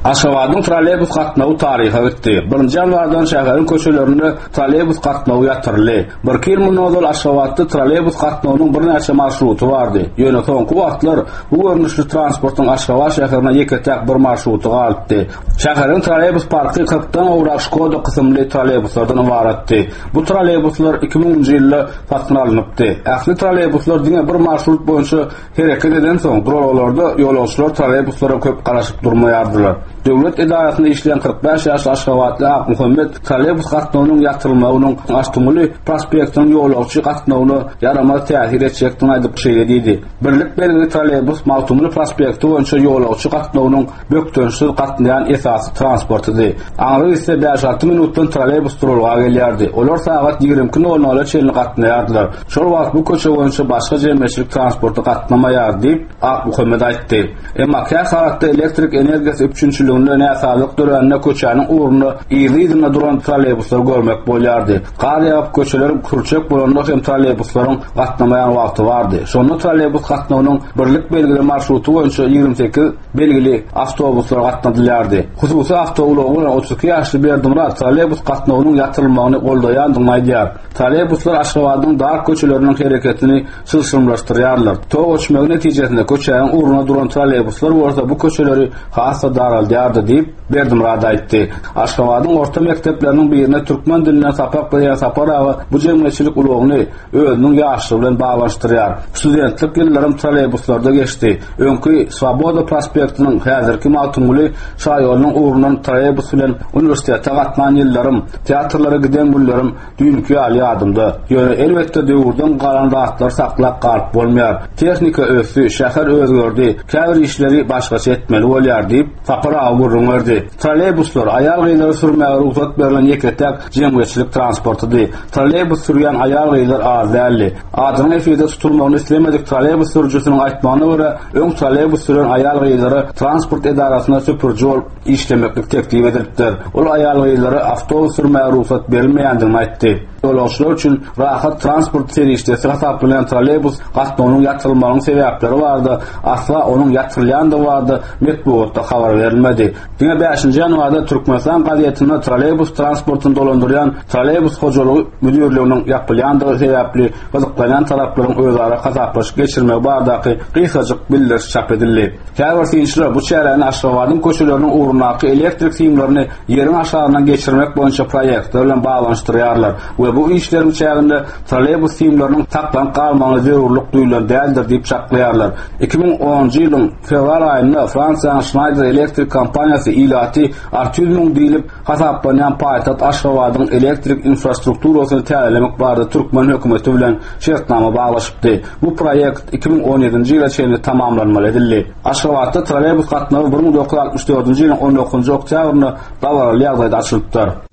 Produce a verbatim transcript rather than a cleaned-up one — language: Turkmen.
Aşgabadyň trolleýbus gatnawy taryha gitdi. Birinji ýanwardan şäheriň köçelerinde trolleýbus gatnawy ýatyryldy. Birki ýyl mundan ozal Aşgabatda trolleýbus gatnawynyň birnäçe marşruty bardy. Ýöne soňky wagtlar bu görnüşli transportyň Aşgabat şäherine ýeke-täk bir marşruty galypdy. Şäheriň trolleýbus parky kyrkdan gowrak Şkoda kysymly trolleýbuslardan ybaratdy. Bu trolleýbuslar iki müňünji ýylda satyn alnypdy. Ähli trolleýbuslar diňe bir marşrut boýunça hereket edensoň, duralgalarda ýolagçylar trolleýbuslara köp garaşyp durmaýardylar. Döwlet edarasynda işleýän kyrk bäş ýaşly aşgabatly Akmuhammet trolleýbus gatnawynyň ýatyrylmagynyň Magtymguly prospektiniň ýolagçy gatnawyna ýaramaz täsir etjekdigini aýdyp şeýle diýdi. Birlik belgili trolleýbus Magtymguly prospekti boýunça ýolagçy gatnawynyň bökdençsiz gatnaýan esasy transportydy. Aňry gitse bäş-alty minutdan trolleýbus duralga gelýärdi. Olar sagat ýigrimi iki nol nola çenli gatnaýardylar. Şol wagt bu köçe boýunça başga jemgyýetçilik transporty gatnamaýar diýip, Akmuhammet aýtdy. Emma kä halatda elektrik energiýasy üpjünçiliginde näsazlyk dörände köçäniň ugrunda yzly-yzyna duran trolleýbuslary görmek bolýardy. Gar ýagyp köçeler kürçek bolanda hem trolleýbuslaryň gatnamaýan wagty bardy. Şonda trolleýbus gatnawynyň birlik belgili marşruty boýunça ýigrimi sekiz belgili awtobuslar gatnadylýardy. Hususy awtoulagy bolan otuz iki ýaşly Berdimyrat trolleýbus gatnawynyň ýatyrylmagyny goldaýandygyny aýdýar. Trolleýbuslar Aşgabadyň dar köçeleriniň hereketini çylşyrymlaşdyrýarlar. Tok öçmegi netijesinde köçäniň ugruna duran trolleýbuslar bolsa bu köçeleri has-da daraldýardy diýip, Berdimyrat aýtdy. Aşgabadyň orta mekdepleriniň birinde türkmen dilinden sapak berýän Sapar aga bu jemgyýetçilik ulagyny özüniň ýaşlygy bilen baglanyşdyrýar. Studentlik ýyllarym trolleýbuslarda geçdi. Öňki Swoboda prospektiniň, häzirki Magtymguly şaýolunyň ugrundan trolleýbus bilen uniwersitete gatnan ýyllarym, teatrlara giden günlerim düýnki ýaly ýadymda. Ýöne elbetde döwürden galan zatlary saklap galyp bolmaýar. Tehnika ösdi, şäher özgerdi, käbir işleri başgaça etmeli bolýar diýip, Sapar aga gürrüň berdi. Trolleýbuslar aýal-gyzlara sürmäge rugsat berlen ýeke-täk jemgyýetçilik transportydy. Trolleýbus sürýän aýal-gyzlar az däldi. Adynyň efirde tutulmagyny islemedik trolleýbus sürüjisiniň aýtmagyna görä, öň trolleýbus süren aýal-gyzlara transport edarasynda süpüriji bolup işlemeklik teklip edilipdir. Ol aýal-gyzlara awtobus sürmäge rugsat berilmeýändigini aýtdy. Ýolagçylar üçin rahat transport serişdesi hasaplanýan trolleýbus gatnawynyň ýatyrylmagynyň sebäpleri barada asla onuň ýatyrylýandygy barada metbugatda habar berilmedi. Diňe bäşinji ýanwarda Türkmenistan gazetinde trolleýbus transportyny dolandyrýan trolleýbus hojalygy müdirliginiň ýapylýandygy sebäpli gyzyklanýan taraplaryň özara hasaplaşyk geçirmegi baradaky gysgajyk bildiriş çap edildi. Käbir synçylar bu çäräni Aşgabadyň köçeleriniň ugrundaky elektrik simlerini ýeriň aşagyndan geçirmek boýunça proýektler bilen baglanyşdyrýarlar we bu işleriň çäginde trolleýbus simleriniň saklanyp galmagyna zerurlyk duýulan däldir diýip çaklaýarlar. Iki müň onunjy ýylyň fewral aýynda Fransiýanyň Schneider Electric kompaniýasy ilaty alty ýüz müň diýlip hasaplanýan paýtagt Aşgabadyň elektrik infrastrukturasyny täzelemek barada türkmen hökümeti bilen şertnama baglaşypdy. Bu proýekt iki müň on ýedinji ýyla çenli tamamlanmaly edildi. Aşgabatda trolleýbus gatnawy bir müň dokuz ýüz altmyş dördünji ýylyň on dokuzynjy oktýabrynda dabaraly ýagdaýda açylypdyr.